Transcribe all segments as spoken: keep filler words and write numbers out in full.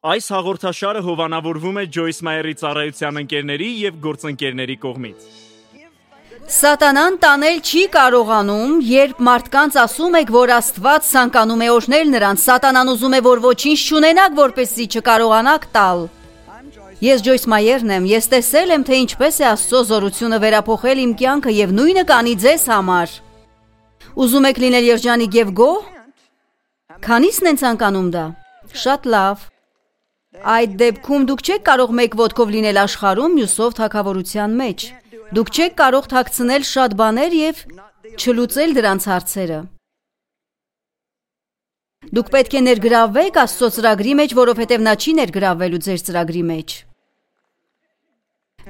Այս հաղորդաշարը հովանավորվում է Ջոյս Մայերի ծառայության ընկերների և գործընկերների կողմից։ Սատանան տանել չի կարողանում, երբ մարդկանց ասում եք, որ Աստված ցանկանում է օրհնել նրանց, Սատանան ուզում է, որ ոչինչ չունենաք, որպեսզի չկարողանաք տալ։ Ես Ջոյս Մայերն եմ, ես տեսել եմ, թե ինչպես է Աստծո զորությունը վերափոխել իմ կյանքը և նույնը կանի ձեզ համար։ Ուզում եք լինել երջանիկ և գոհ։ Քանիսն են ցանկանում դա։ Շատ լավ։ Այդ դեպքում դուք չեք կարող մեկ ոտքով լինել աշխարհում, մյուսով թագավորության մեջ։ Դուք չեք կարող թաքցնել շատ բաներ և չլուծել դրանց հարցերը։ Դուք պետք է ներգրավվեք Աստծո ծրագրի մեջ, որովհետև նա չի ներգրավվելու ձեր ծրագրի մեջ։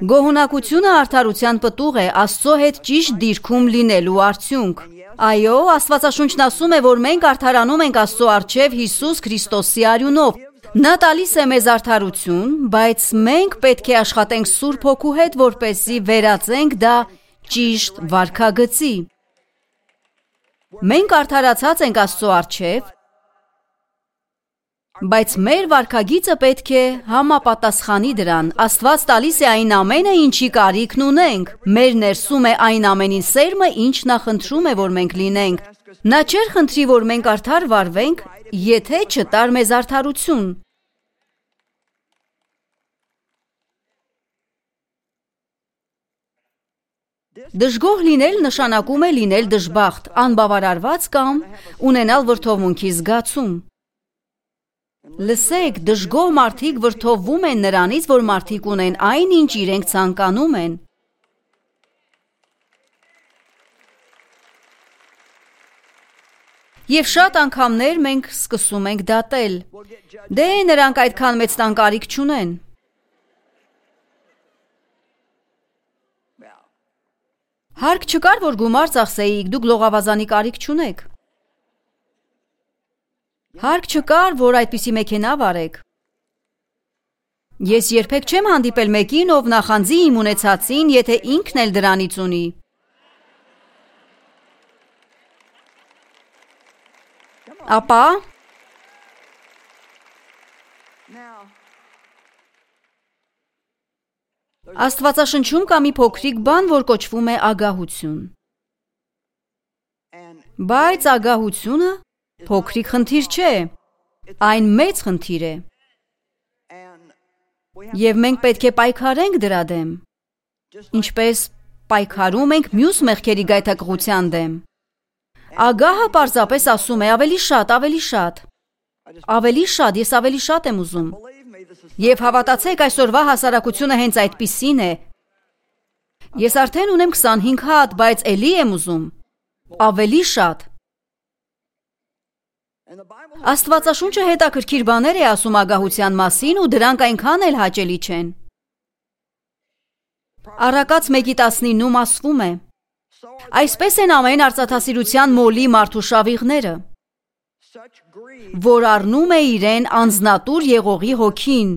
Գոհունակությունը արդարության պտուղ է, Աստծո հետ ճիշտ դիրքում լինելու արդյունք։ Այո, Աստվածաշունչն ասում է, որ մենք արդարանում ենք Աստծո առջև Հիսուս Քրիստոսի արյունով։ Նա տալիս է մեզ արդարություն, բայց մենք պետք է աշխատենք Սուրբ Հոգու հետ, որպեսզի վերածենք դա ճիշտ վարքագծի։ Մենք արդարացած ենք Աստծո առջև, բայց մեր վարքագիծը պետք է համապատասխանի դրան։ Աստված տալիս է այն ամենը, ինչի կարիքն ունենք։ Մեր ներսում է այն ամենին սերմը, ինչ նա խնդրում է, որ մենք լինենք։ Նա չէր խնդրի, որ մենք արդար վարվենք, եթե չտար մեզ արդարություն։ Դժգոհ լինել նշանակում է լինել դժբախտ, անբավարարված կամ ունենալ վրդովմունքի զգացում։ Լսեք, դժգոհ մարդիկ վրդովվում են նրանից, որ մարդիկ ունեն այն, ինչ իրենք ցանկանում են։ Եվ շատ անգամներ մենք սկսում ենք դատել։ Դե նրանք այդքան մեծ տան կարիք չունեն։ Հարկ չկար, որ գումար ծախսեիք, դուք լողավազանի կարիք չունեք։ Հարկ չկար, որ այդպիսի մեքենա վարեք։ Ես երբեք չեմ հանդիպել մեկին, ով նախանձի իմ ունեցածին, եթե ինքն էլ դրանից ունի։ Ապա Աստվածաշնչում կա մի փոքրիկ բան, որ կոչվում է ագահություն։ Բայց ագահությունը փոքրիկ խնդիր չէ, այն մեծ խնդիր է։ Եվ մենք պետք է պայքարենք դրա դեմ, ինչպես պայքարում ենք մյուս մեղքերի գայթակղության դեմ։ Ագահը պարզապես ասում է ավելի շատ, ավելի շատ, ավելի շատ, ես ավելի շատ եմ ուզում։ Եվ հավատացեք, այսօրվա հասարակությունը հենց այդպիսին է։ Ես արդեն ունեմ քսանհինգ հատ, բայց էլի եմ ուզում, ավելի շատ։ Աստվածաշունչը հետաքրքիր բաներ է ասում ագահության մասին ու դրանք այնքան էլ հաճելի չեն։ Առակաց մեկի տասնիննում ասվում է. Այսպես են ամեն արծաթասիրության մոլի մարդու շավիղները, որ առնում է իրեն անձնատուր եղողի հոգին։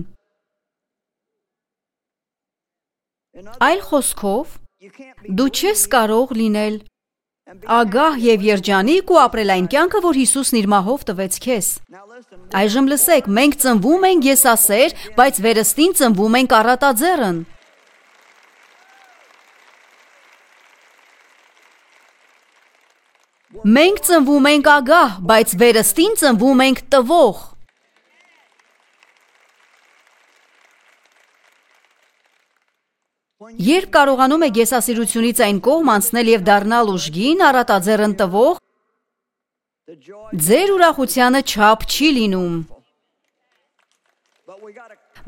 Այլ խոսքով, դու չես կարող լինել ագահ և երջանիկ ու ապրել այն կյանքը, որ Հիսուսն իր մահով տվեց քեզ։ Այժմ լսեք, մենք ծնվում ենք եսասեր, բայց վերստին ծնվում ենք առատաձեռն։ Մենք ծնվում ենք ագահ, բայց վերստին ծնվում ենք տվող։ Երբ կարողանում եք եսասիրությունից այն կողմ անցնել և դառնալ ուժգին, առատաձեռն տվող, ձեր ուրախությանը չափ չի լինում։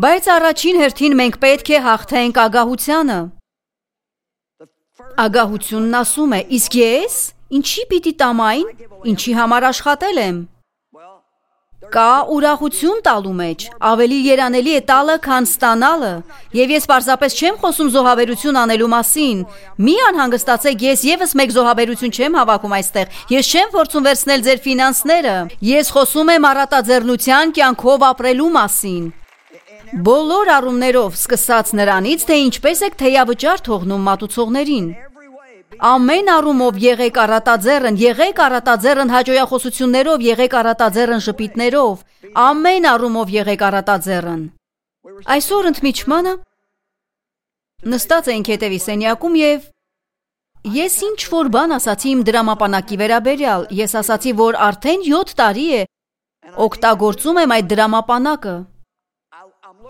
Բայց առաջին հերթին մենք պետք է հաղթենք ագահությանը։ Ագահությունն ասում է, իսկ ես ինչի պիտի տամ այն, ինչի համար աշխատել եմ։ Կա ուրախություն տալու մեջ, ավելի երանելի է տալը, քան ստանալը։ Եվ ես պարզապես չեմ խոսում զոհաբերություն անելու մասին։ Մի անհանգստացեք, ես ևս մեկ զոհաբերություն չեմ հավաքում այստեղ։ Ես չեմ փորձում վերցնել ձեր ֆինանսները։ Ես խոսում եմ առատաձեռնության կյանքով ապրելու մասին։ Բոլոր առումներով, սկսած նրանից, թե ինչպես եք թեյավճար թողնում մատուցողներին։ Ամեն առումով եղեք առատաձեռն, եղեք առատաձեռն հաջողախոսություններով, եղեք առատաձեռն ժպիտներով, ամեն առումով եղեք առատաձեռն։ Այսօր ընդմիջմանը նստած էինք հետևի սենյակում եւ ես ինչ որ բան ասացի իմ դրամապանակի վերաբերյալ, ես ասացի, որ արդեն յոթ տարի է օգտագործում եմ այդ դրամապանակը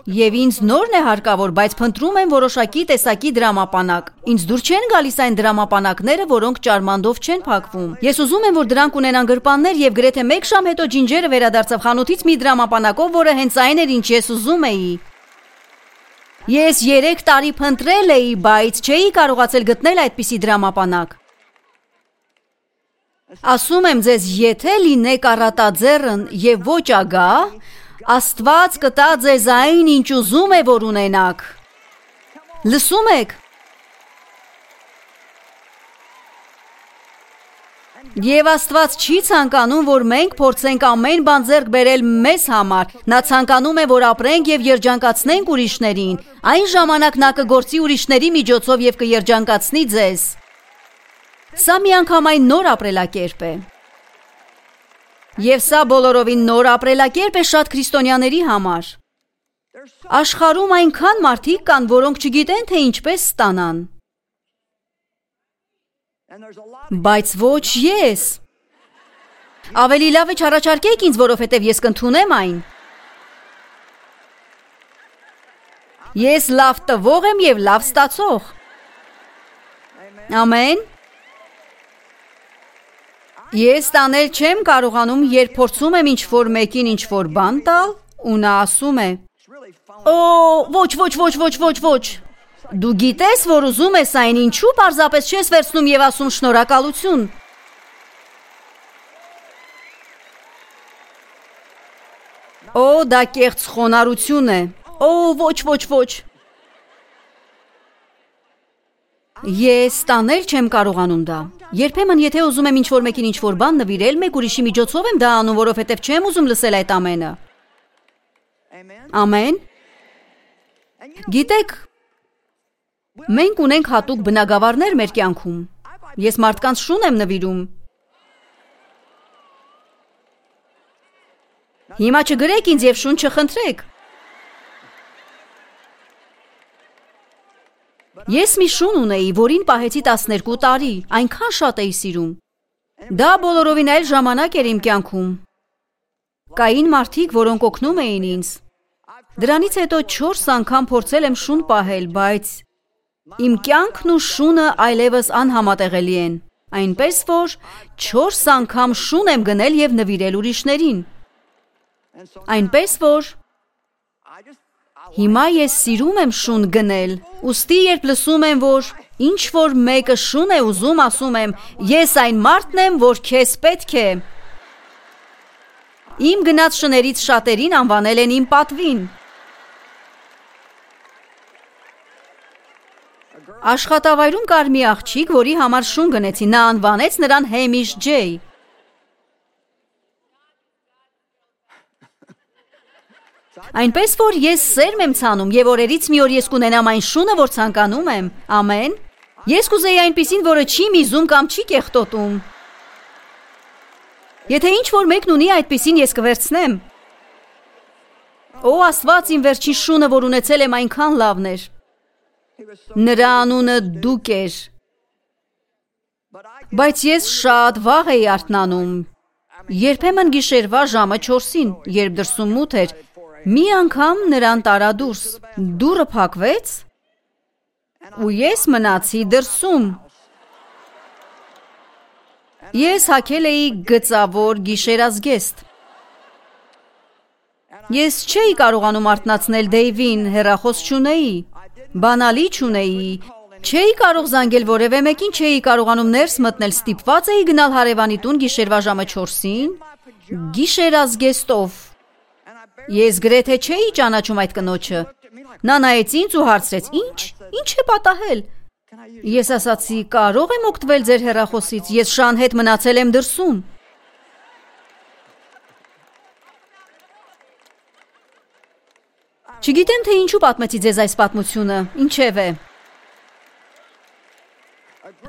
եւ ինձ նորն է հարկավոր, բայց փնտրում եմ որոշակի տեսակի դրամապանակ։ Ինձ դուր չեն գալիս այն դրամապանակները, որոնք ճարմանդով չեն փակվում։ Ես ուզում եմ, որ դրանք ունենան գրպաններ եւ գրեթե մեկ ժամ հետո ջինջերը վերադարձավ խանութից մի դրամապանակով, որը հենց այն էր, ինչ ես ուզում էի։ Ես երեք տարի փնտրել էի, բայց չէի կարողացել գտնել այդպիսի դրամապանակ։ Ասում եմ ձեզ, եթե լինեք առատաձեռն եւ ոչ ագահ, Աստված կտա ձեզ այն, ինչ ուզում է, որ ունենաք։ Լսում եք։ Եվ Աստված չի ցանկանում, որ մենք փորձենք ամեն բան ձեռք բերել մեզ համար։ Նա ցանկանում է, որ ապրենք եւ երջանկացնենք ուրիշներին։ Այն ժամանակ նա կգործի ուրիշների միջոցով եւ կերջանկացնի ձեզ։ Սա միանգամայն նոր ապրելակերպ է։ Եվ սա բոլորովին նոր ապրելակերպ է շատ քրիստոնյաների համար։ Աշխարհում այնքան մարդիկ կան, որոնք չգիտեն, թե ինչպես ստանան։ Բայց ոչ ես։ Ավելի լավ է չառաջարկեք ինձ, որովհետև ես կընդունեմ այն։ Ես լավ տվող եմ եւ լավ ստացող։ Ամեն։ Ես տանել չեմ կարողանում, երբ փորձում եմ ինչ-որ մեկին ինչ-որ բան տալ, ու նա ասում է. Օ, ոչ, ոչ, ոչ, ոչ, ոչ, ոչ։ Դու գիտես, որ ուզում ես այն, ինչու պարզապես չես վերցնում եւ ասում շնորհակալություն։ Օ, դա կեղծ խոնարհություն է։ Օ, ոչ, ոչ, ոչ։ Ես տանել չեմ կարողանում դա։ Երբեմն եթե ուզում եմ ինչ-որ մեկին ինչ-որ բան նվիրել, մեկ ուրիշի միջոցով եմ դա անում, որովհետև չեմ ուզում լսել այդ ամենը։ Ամեն։ Գիտեք, մենք ունենք հատուկ բնագավառներ մեր կյանքում։ Ես մարդկանց շուն եմ նվիրում։ Հիմա չգրեք ինձ եւ շուն չխնդրեք։ Ես մի շուն ունեի, որին պահեցի տասներկու տարի, այնքան շատ էի սիրում։ Դա բոլորովին այլ ժամանակ էր իմ կյանքում։ Կային մարդիկ, որոնք օգնում էին ինձ։ Դրանից հետո չորս անգամ փորձել եմ շուն պահել, բայց իմ կյանքն ու շունը այլևս անհամատեղելի են։ Այնպես որ չորս անգամ շուն եմ գնել եւ նվիրել ուրիշներին։ Այնպես որ Հիմա ես սիրում եմ շուն գնել, ուստի երբ լսում եմ, որ ինչ-որ մեկը շուն է ուզում, ասում եմ, ես այն մարդն եմ, որ քեզ պետք է։ Իմ գնած շներից շատերին անվանել են իմ պատվին։ Աշխատավայրում կար մի աղջիկ, որի համար շուն գնեցի, նա անվանեց նրան Հեմիշ Ջեյ։ Այնպես որ ես սերմ եմ ցանում եւ օրերից մի օր ես կունենամ այն շունը, որ ցանկանում եմ։ Ամեն։ Ես կուզեի այնպիսին, որը չի միզում կամ չի կեղտոտում։ Եթե ինչ-որ մեկն ունի այդպիսին, ես կվերցնեմ։ Օ, Աստված, իմ վերջին շունը, որ ունեցել եմ, այնքան լավն էր։ Նրա անունը Դուկ էր։ Բայց ես շատ վաղ էի արթնանում։ Երբեմն գիշերվա ժամը չորսին, երբ դրսում մութ էր, մի անգամ նրան տարա դուրս, դուռը փակվեց, ու ես մնացի դրսում։ Ես հագել էի գծավոր գիշերազգեստ։ Ես չէի կարողանում արթնացնել Դեյվին, հեռախոս չունեի, բանալի չունեի, չէի կարող զանգել որևէ մեկին, չէի կարողանում ներս մտնել, ստիպված էի գնալ հարևանի տուն գիշերվա ժամը չորսին, գիշերազգեստով։ Ես գրեթե չէի ճանաչում այդ կնոջը։ Նա նայեց ինձ ու հարցրեց. Ինչ, ինչ է պատահել։ Ես ասացի, կարող եմ օգտվել ձեր հեռախոսից, ես շան հետ մնացել եմ դրսում։ Չգիտեմ, թե ինչու պատմեցի ձեզ այս պատմությունը, ինչև է։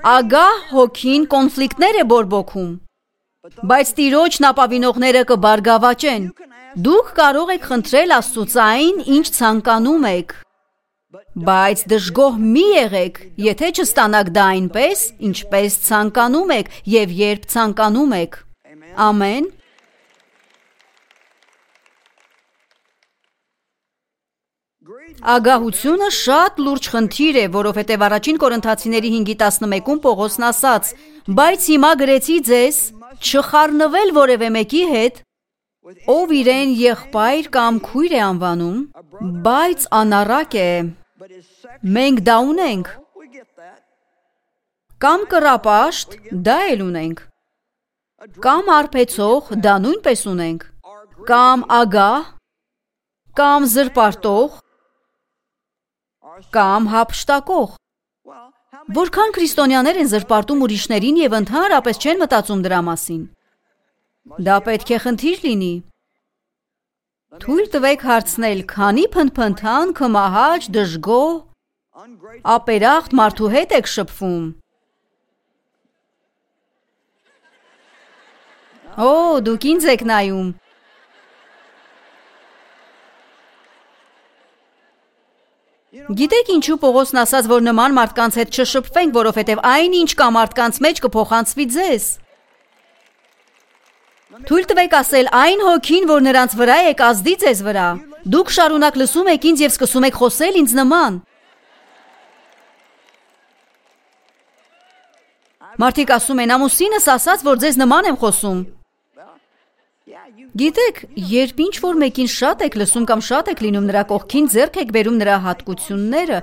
ագահ հոգին կոնֆլիկտներ է բորբոքում, բայց Տիրոջն ապավինողները կբարգավաճեն։ Դուք կարող եք խնդրել Աստծուց այն, ինչ ցանկանում եք, բայց դժգոհ մի եղեք, եթե չստանաք դա այնպես, ինչպես ցանկանում եք եւ երբ ցանկանում եք։ Ամեն։ Ագահությունը շատ լուրջ խնդիր է, որովհետև առաջին Կորինթացիների հինգի տասնմեկում Պողոսն ասաց. բայց հիմա գրեցի ձեզ չխառնվել որևէ մեկի հետ, ով իրեն եղբայր կամ քույր է անվանում, բայց անառակ է։ Մենք դա ունենք, կամ կռապաշտ, դա էլ ունենք, կամ արբեցող, դա նույնպես ունենք, կամ ագահ, կամ զրպարտող, կամ հափշտակող։ Որքան քրիստոնյաներ են զրպարտում ուրիշներին և ընդհանրապես չեն մտածում դրա մասին։ Դա պետք է խնդիր լինի։ Թույլ տվեք հարցնել, քանի փնփնթան, քմահաճ, դժգոհ, ապերախտ մարդու հետ եք շփվում։ Օ, դուք ինձ եք նայում։ Գիտեք ինչու Պողոսն ասաց, որ նման մարդկանց հետ չշփվենք, որովհետև այն ինչ կա մարդկանց մեջ կփոխանցվի ձեզ։ Թույլ տվեք ասել, այն հոգին, որ նրանց վրա է, կազդի ձեզ վրա։ Դուք շարունակ լսում եք ինձ և սկսում եք խոսել ինձ նման։ Մարդիկ ասում են, ամուսինս ասաց, որ ձեզ նման եմ խոսում։ Գիտեք, երբ ինչ-որ մեկին շատ եք լսում կամ շատ եք լինում նրա կողքին, ձեռք եք բերում նրա հատկությունները։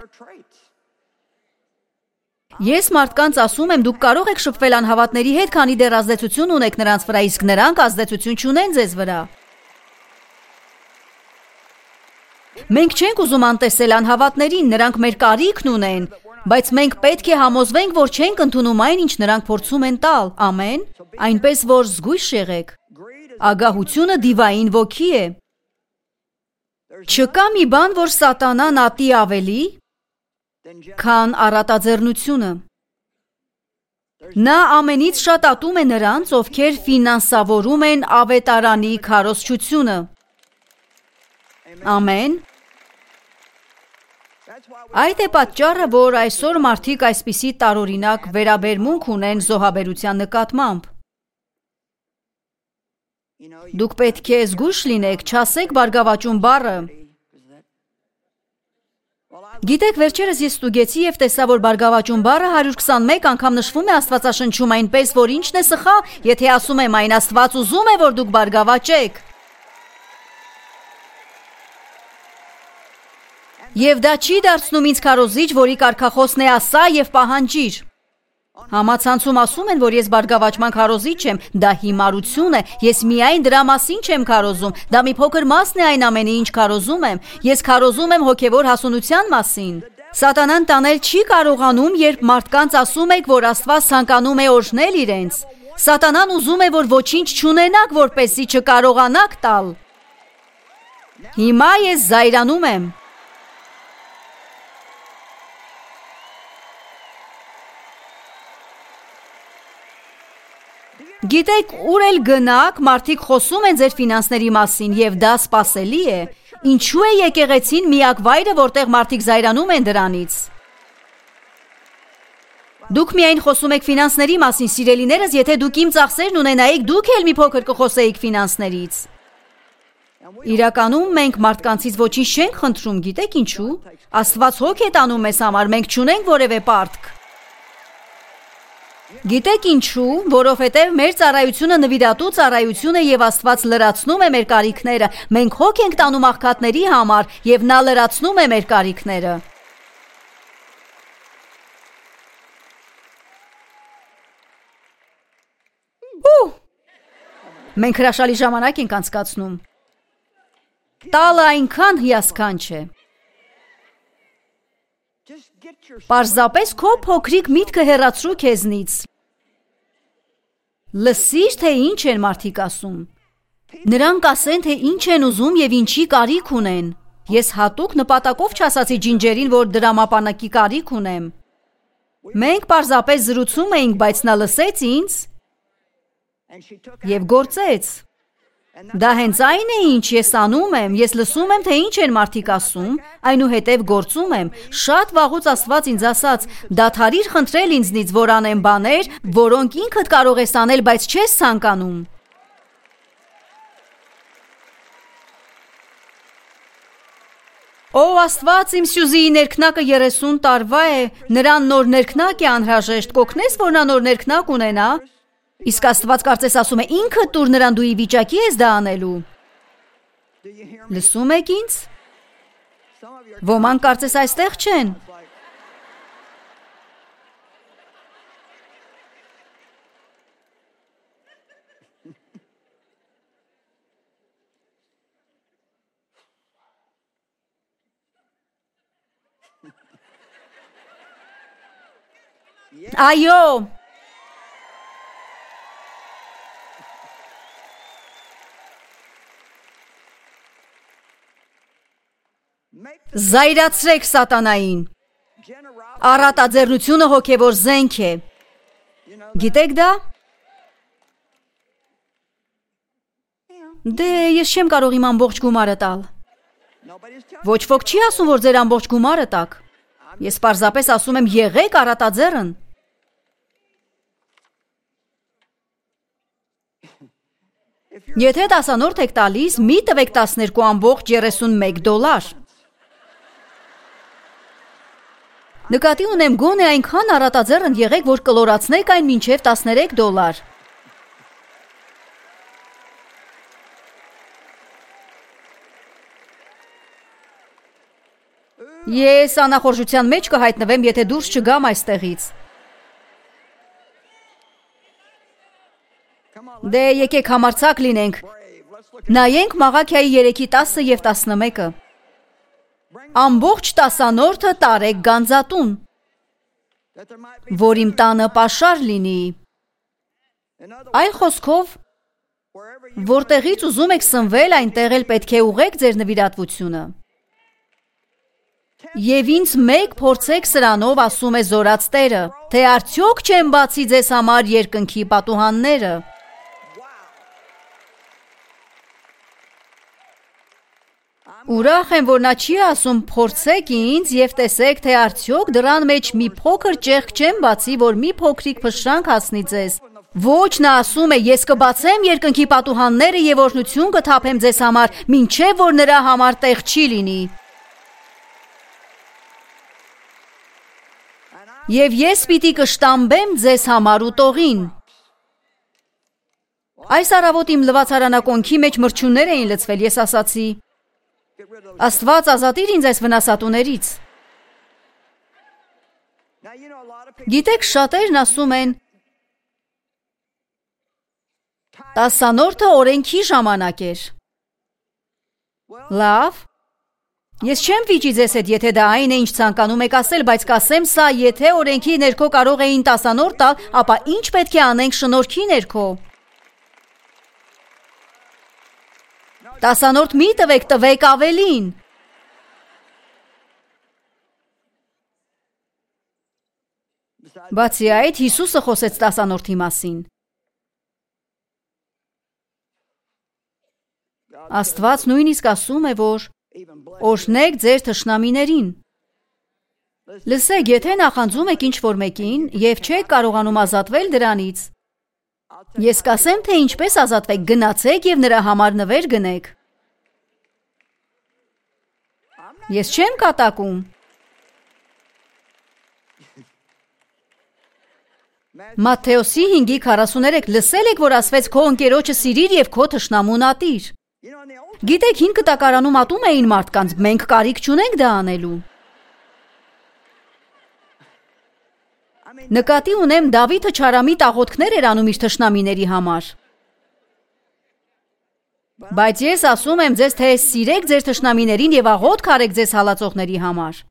Ես մարդկանց ասում եմ, դուք կարող եք շփվել անհավատների հետ, քանի դեռ ազդեցություն ունեք նրանց վրա, իսկ նրանք ազդեցություն չունեն ձեզ վրա։ Մենք չենք ուզում անտեսել անհավատներին, նրանք մեր կարիքն ունեն, բայց մենք պետք է համոզվենք, որ չենք ընդունում այն, ինչ նրանք փորձում են տալ։ Ամեն։ Այնպես որ զգույշ եղեք։ Ագահությունը դիվային ոգի է։ Չկա մի բան, որ սատանան ատի ավելի, քան առատաձեռնությունը։ Նա ամենից շատ ատում է նրանց, ովքեր ֆինանսավորում են ավետարանի քարոզչությունը։ Ամեն։ Այդ է պատճառը, որ այսօր մարդիկ այսպիսի տարօրինակ վերաբերմունք ունեն զոհաբերության նկատմամբ։ Դուք պետք է զգույշ լինեք, չասեք բարգավաճում բառը։ Գիտեք, վերջերս ես ստուգեցի և տեսա, որ բարգավաճում բառը հարյուր քսանմեկ անգամ նշվում է Աստվածաշնչում, այնպես որ ինչն է սխալ, եթե ասում եմ այն, Աստված ուզում է, որ դուք բարգավաճեք։ Եվ դա չի դարձնում ինձ քարոզիչ, որի կարգախոսն է ասա և պահանջիր։ Համացանցում ասում են, որ ես բարգավաճման քարոզիչ եմ, դա հիմարություն է, ես միայն դրա մասին չեմ քարոզում, դա մի փոքր մասն է այն ամենի, ինչ քարոզում եմ, ես քարոզում եմ հոգևոր հասունության մասին։ Սատանան տանել չի կարողանում, երբ մարդկանց ասում եք, որ Աստված ցանկանում է օրհնել իրենց։ Սատանան ուզում է, որ ոչինչ չունենաք, որպեսզի չկարողանաք տալ։ Հիմա ես զայրանում եմ։ Գիտեք, ուր էլ գնաք, մարդիկ խոսում են ձեր ֆինանսների մասին, և դա սպասելի է։ Ինչու է եկեղեցին միակ վայրը, որտեղ մարդիկ զայրանում են դրանից։ Դուք միայն խոսում եք ֆինանսների մասին, սիրելիներս, եթե դուք իմ ծախսերն ունենայիք, դուք էլ մի փոքր կխոսեիք ֆինանսներից։ Իրականում մենք մարդկանցից ոչինչ չենք խնդրում, գիտեք ինչու։ Աստված հոգ է տանում մեզ համար, մենք չունենք որևէ պարտք։ Գիտեք ինչու, որովհետև մեր ծառայությունը նվիրատու ծառայություն է և Աստված լրացնում է մեր կարիքները, մենք հոգ ենք տանում աղքատների համար և նա լրացնում է մեր կարիքները։ Ու, մենք հրաշալի ժամանակ ենք անցկացնում։ Տալը այնքան հիասքանչ է։ Պարզապես քո փոքրիկ միտքը հեռացրու քեզնից։ Լսիր, թե ինչ են մարդիկ ասում։ Նրանք ասեն, թե ինչ են ուզում և ինչի կարիք ունեն։ Ես հատուկ նպատակով չասացի ջինջերին, որ դրամապանակի կարիք ունեմ։ Մենք պարզապես զրուցում էինք, բայց նա լսեց ինձ և գործեց։ Դա հենց այն է, ինչ ես անում եմ, ես լսում եմ, թե ինչ են մարդիկ ասում, այնուհետև գործում եմ։ Շատ վաղուց Աստված ինձ ասաց, դադարիր խնդրել ինձնից, որ անեմ բաներ, որոնք ինքդ կարող ես անել, բայց չես ցանկանում։ Ո Աստված, իմ Սյուզիի ներքնակը երեսուն տարվա է, նրան նոր ներքնակ է անհրաժեշտ, կօգնես, որ նա նոր ներքնակ ունենա։ Իսկ Աստված կարծես ասում է, ինքդ տուր նրան, դու ի վիճակի ես դա անելու։ Լսում եք ինձ։ Ոմանք կարծես այստեղ չեն։ Այո։ Զայրացրեք սատանային։ Առատաձեռնությունը հոգևոր զենք է։ Գիտեք դա։ Դե ես չեմ կարող իմ ամբողջ գումարը տալ։ Ոչ ոք չի ասում, որ ձեր ամբողջ գումարը տաք։ Ես պարզապես ասում եմ, եղեք առատաձեռն։ Եթե տասանորդ եք տալիս, մի տվեք տասներկու ամբողջ երեսունմեկ դոլար։ Նկատի ունեմ գոնե այնքան առատաձեռն եղեք, որ կլորացնեք այն մինչև տասներեք դոլար։ Ես անախորժության մեջ կհայտնվեմ, եթե դուրս չգամ այստեղից։ Դե եկեք համարձակ լինենք։ Նայենք Մաղաքիայի երեքի տասը և տասնմեկը։ Ամբողջ տասանորդը տարեք գանձատուն, որ իմ տանը պաշար լինի։ Այլ խոսքով, որտեղից ուզում եք սնվել, այնտեղ էլ պետք է ուղեք ձեր նվիրատվությունը։ Եվ ինձ մեկ փորձեք սրանով, ասում է զորաց Տերը, թե արդյոք չեմ բացի ձեզ համար երկնքի պատուհանները։ Ուրախ եմ, որ նա չի ասում փորձեք ինձ և տեսեք, թե արդյոք դրան մեջ մի փոքր ճեղք չեմ բացի, որ մի փոքրիկ փշրանք հասնի ձեզ։ Ոչ, նա ասում է, ես կբացեմ երկնքի պատուհանները և օրհնություն կթափեմ ձեզ համար, մինչև որ նրա համար տեղ չի լինի։ Եվ ես պիտի կշտամբեմ ձեզ համար ուտողին։ Այս առավոտ իմ լվացարանակոնքի մեջ մրջյուններ էին լցվել, ես ասացի. Աստված ազատիր ինձ այս վնասատուներից։ Գիտեք, շատերն ասում են, տասանորդը օրենքի ժամանակ էր։ Լավ, ես չեմ վիճի ձեզ հետ, եթե դա այն է, ինչ ցանկանում եք ասել, բայց կասեմ սա, եթե օրենքի ներքո կարող էին տասանորդ տալ, ապա ինչ պետք է անենք շնորհքի ներքո։ Տասանորդ մի տվեք, տվեք ավելին։ Բացի այդ, Հիսուսը խոսեց տասանորդի մասին։ Աստված նույնիսկ ասում է, որ օրհնեք ձեր թշնամիներին։ Լսեք, եթե նախանձում եք ինչ-որ մեկին և չեք կարողանում ազատվել դրանից, ես կասեմ, թե ինչպես ազատվեք, գնացեք և նրա համար նվեր գնեք։ Ես չեմ կատակում։ Մատթեոսի հինգի քառասուներեք լսել եք, որ ասվեց քո ընկերոջը սիրիր և քո թշնամուն ատիր։ Գիտեք, հին կտակարանում ատում էին մարդկանց, մենք կարիք չունենք դա անելու։ Նկատի ունեմ, Դավիթը չարամիտ աղոթքներ էր անում իր թշնամիների համար։ Բայց ես ասում եմ ձեզ, թե սիրեք ձեր թշնամիներին և աղոթք արեք ձեզ հալածողների համար։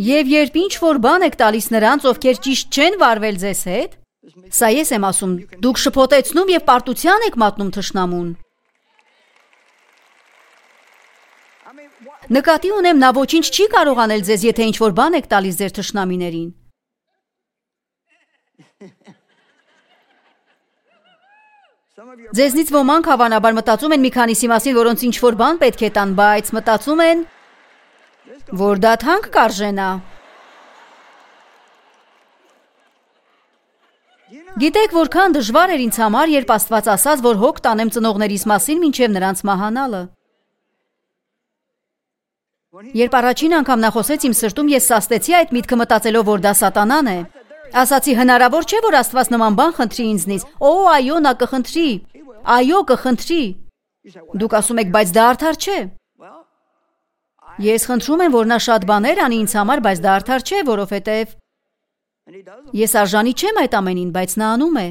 Եվ երբ ինչ-որ բան եք տալիս նրանց, ովքեր ճիշտ չեն վարվել ձեզ հետ, սա ես եմ ասում, դուք շփոթեցնում և պարտության եք մատնում թշնամուն։ Նկատի ունեմ, նա ոչինչ չի կարող անել ձեզ, եթե ինչ-որ բան եք տալիս ձեր թշնամիներին։ Ձեզնից ոմանք հավանաբար մտածում են մի քանիսի մասին, որոնց ինչ-որ բան պետք է տան, բայց մտածում են, որ դա թանկ կարժենա։ Գիտեք, որքան դժվար էր ինձ համար, երբ Աստված ասաց, որ հոգ տանեմ ծնողներիս մասին մինչև նրանց մահանալը։ Երբ առաջին անգամ նա խոսեց իմ սրտում, ես սաստեցի այդ միտքը մտածելով, որ դա սատանան է։ Ասացի, հնարավոր չէ, որ Աստված նման բան խնդրի ինձնից։ Օ, այո, նա կխնդրի։ Այո, կխնդրի։ Դուք ասում եք, բայց դա արդար չէ։ Ես խնդրում եմ, որ նա շատ բաներ անի ինձ համար, բայց դա արդար չէ, որովհետև ես արժանի չեմ այդ ամենին, բայց նա անում է։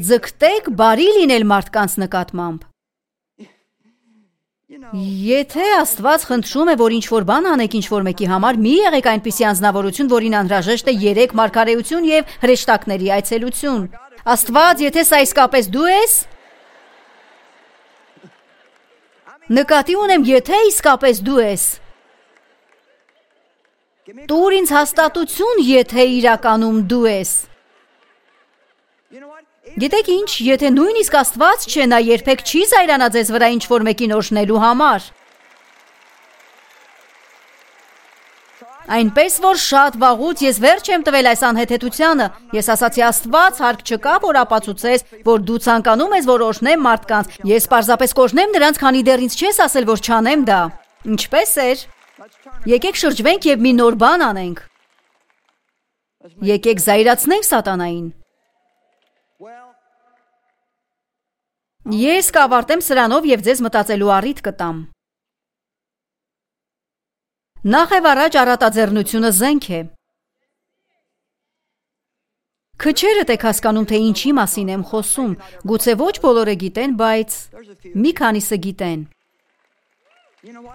Ձգտեք բարի լինել մարդկանց նկատմամբ։ Եթե Աստված խնդրում է, որ ինչ-որ բան անեք ինչ-որ մեկի համար, մի եղեք այնպիսի անձնավորություն, որին անհրաժեշտ է երեք մարգարեություն և հրեշտակների այցելություն։ Աստված, եթե սա իսկապես դու ես, նկատի ունեմ, եթե իսկապես դու ես, տուր ինձ հաստատություն, եթե իրականում դու ես։ Գիտեք ինչ, եթե նույնիսկ Աստված չէ, նա երբեք չի զայրանա ձեզ վրա ինչ-որ մեկին օրհնելու համար։ Այնպես որ շատ վաղուց ես վերջ եմ տվել այս անհեթեթությանը, ես ասացի Աստված, հարկ չկա, որ ապացուցես, որ դու ցանկանում ես, որ օրհնեմ մարդկանց, ես պարզապես կօրհնեմ նրանց, քանի դեռ ինձ չես ասել, որ չանեմ դա։ Ինչպես էր։ Եկեք շրջվենք և մի նոր բան անենք։ Եկեք զայրացնենք սատանային։ Ես կավարտեմ սրանով և ձեզ մտածելու առիթ կտամ։ Նախ առաջ առատաձեռնությունը զենք է։ Քչերդ եք հասկանում, թե ինչի մասին եմ խոսում, գուցե ոչ բոլորը գիտեն, բայց մի քանիսը գիտեն։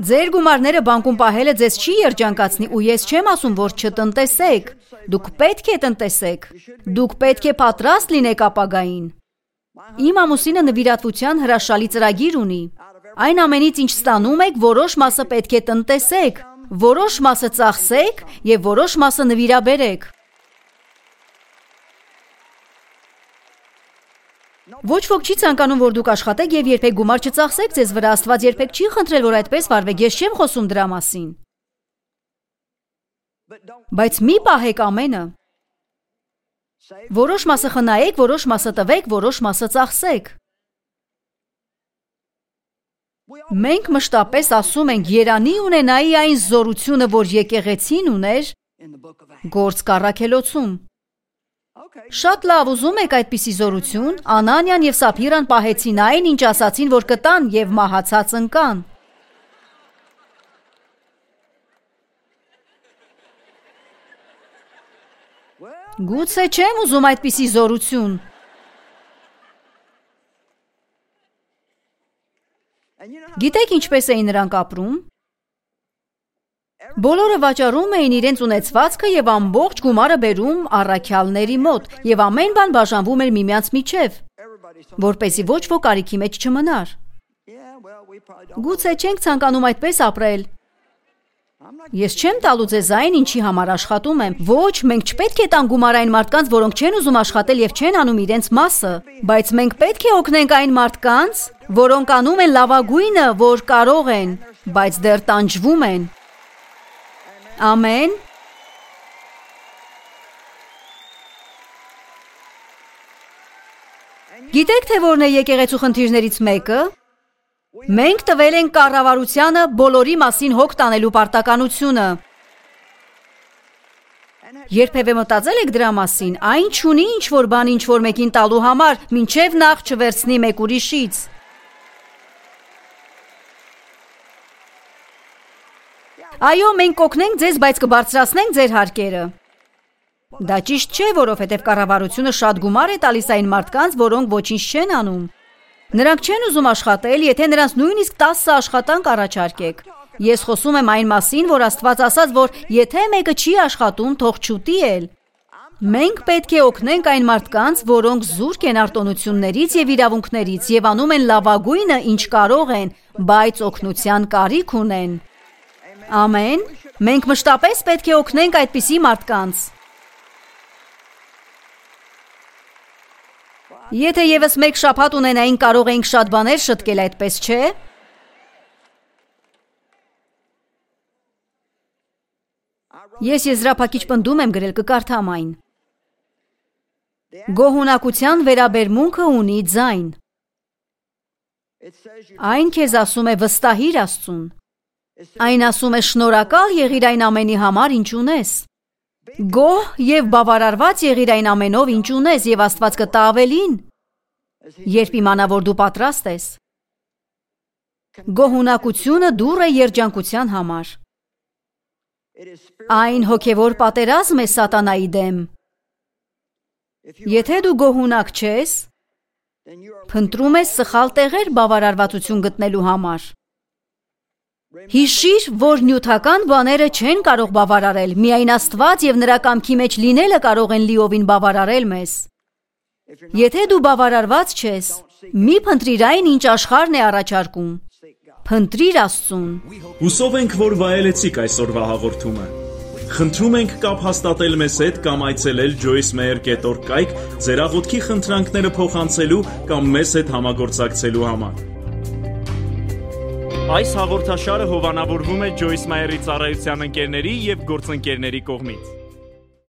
Ձեր գումարները բանկում պահելը ձեզ չի երջանկացնի, ու ես չեմ ասում, որ չտնտեսեք։ Դուք պետք է տնտեսեք։ Դուք պետք է պատրաստ լինեք ապագային։ Իմ ամուսինը նվիրատվության հրաշալի ծրագիր ունի։ Այն ամենից, ինչ ստանում եք, որոշ մասը պետք է տնտեսեք, որոշ մասը ծախսեք և որոշ մասը նվիրաբերեք։ Ոչ ոք չի ցանկանում, որ դուք աշխատեք և երբեք գումար չծախսեք ձեզ վրա, Աստված երբեք չի խնդրել, որ այդպես վարվեք, ես չեմ խոսում դրա մասին։ Բայց մի պահեք ամենը։ Որոշ մասը խնայեք, որոշ մասը տվեք, որոշ մասը ծախսեք։ Մենք մշտապես ասում ենք, երանի ունենայի այն զորությունը, որ եկեղեցին ուներ Գործք առաքելոցում։ Շատ լավ, ուզում եք այդպիսի զորություն, Անանիան և Սափիրան պահեցին այն, ինչ ասացին, որ կտան և մահացած ընկան։ Գուցե չեմ ուզում այդպիսի զորություն։ Գիտեք ինչպես էին նրանք ապրում։ Բոլորը վաճառում էին իրենց ունեցվածքը և ամբողջ գումարը բերում առաքյալների մոտ, և ամեն բան բաժանվում էր միմյանց միջև, որպեսզի ոչ ոք կարիքի մեջ չմնար։ Գուցե չենք ցանկանում այդպես ապրել։ Ես չեմ տալու ձեզ այն, ինչի համար աշխատում եմ։ Ոչ, մենք չպետք է տանք գումար այն մարդկանց, որոնք չեն ուզում աշխատել և չեն անում իրենց մասը, բայց մենք պետք է օգնենք այն մարդկանց, որոնք անում են լավագույնը, որ կարող են, բայց դեռ տանջվում են։ Ամեն։ Գիտեք, թե որն է եկեղեցու խնդիրներից մեկը։ Մենք տվել ենք կառավարությանը բոլորի մասին հոգ տանելու պարտականությունը։ Երբևէ մտածել եք դրա մասին, այն չունի ինչ-որ բան ինչ-որ մեկին տալու համար, մինչև նախ չվերցնի մեկ ուրիշից։ Այո, մենք կօգնենք ձեզ, բայց կբարձրացնենք ձեր հարկերը։ Դա ճիշտ չէ, որովհետև կառավարությունը շատ գումար է տալիս այն մարդկանց, որոնք ոչինչ չեն անում։ Նրանք չեն ուզում աշխատել, եթե նրանց նույնիսկ տասը աշխատանք առաջարկեք։ Ես խոսում եմ այն մասին, որ Աստված ասաց, որ եթե մեկը չի աշխատում, թող չուտի էլ։ Մենք պետք է օգնենք այն մարդկանց, որոնք զուրկ են արտոնություններից եւ իրավունքներից եւ անում են լավագույնը, ինչ կարող են, բայց օգնության կարիք ունեն։ Ամեն։ Մենք մշտապես պետք է օգնենք այդպիսի մարդկանց։ Եթե եւս մեկ շաբաթ ունենային, կարող էինք շատ բաներ շտկել, այդպես չէ՞։ Ես եզրափակիչ պնդում եմ գրել, կկարդամ այն։ Գոհունակության վերաբերմունքը ունի ձայն։ Այն քեզ ասում է վստահիր Աստծուն։ Այն ասում է շնորհակալ եղիր այն ամենի համար, ինչ ունես։ Գոհ եւ բավարարված եղիր այն ամենով, ինչ ունես, եւ Աստված կտա ավելին, երբ իմանա, որ դու պատրաստ ես։ Գոհունակությունը դուռ է երջանկության համար։ Այն հոգևոր պատերազմ է սատանայի դեմ։ Եթե դու գոհունակ չես, փնտրում ես սխալ տեղեր բավարարվածություն գտնելու համար։ Հիշիր, որ նյութական բաները չեն կարող բավարարել, միայն Աստված եւ նրա կամքի մեջ լինելը կարող են լիովին բավարարել մեզ։ Եթե դու բավարարված չես, մի փնտրիր այն, ինչ աշխարհն է առաջարկում։ Փնտրիր Աստծուն։ Հուսով ենք, որ վայելեցիք այսօրվա հաղորդումը։ Խնդրում ենք կապ հաստատել մեզ հետ կամ այցելել joyce meyer dot org կայք ձեր աղոթքի խնդրանքները փոխանցելու կամ մեզ հետ համագործակցելու համար։ Այս հաղորդաշարը հովանավորվում է Joyce Meyer-ի ծառայության ընկերների եւ գործընկերների կողմից։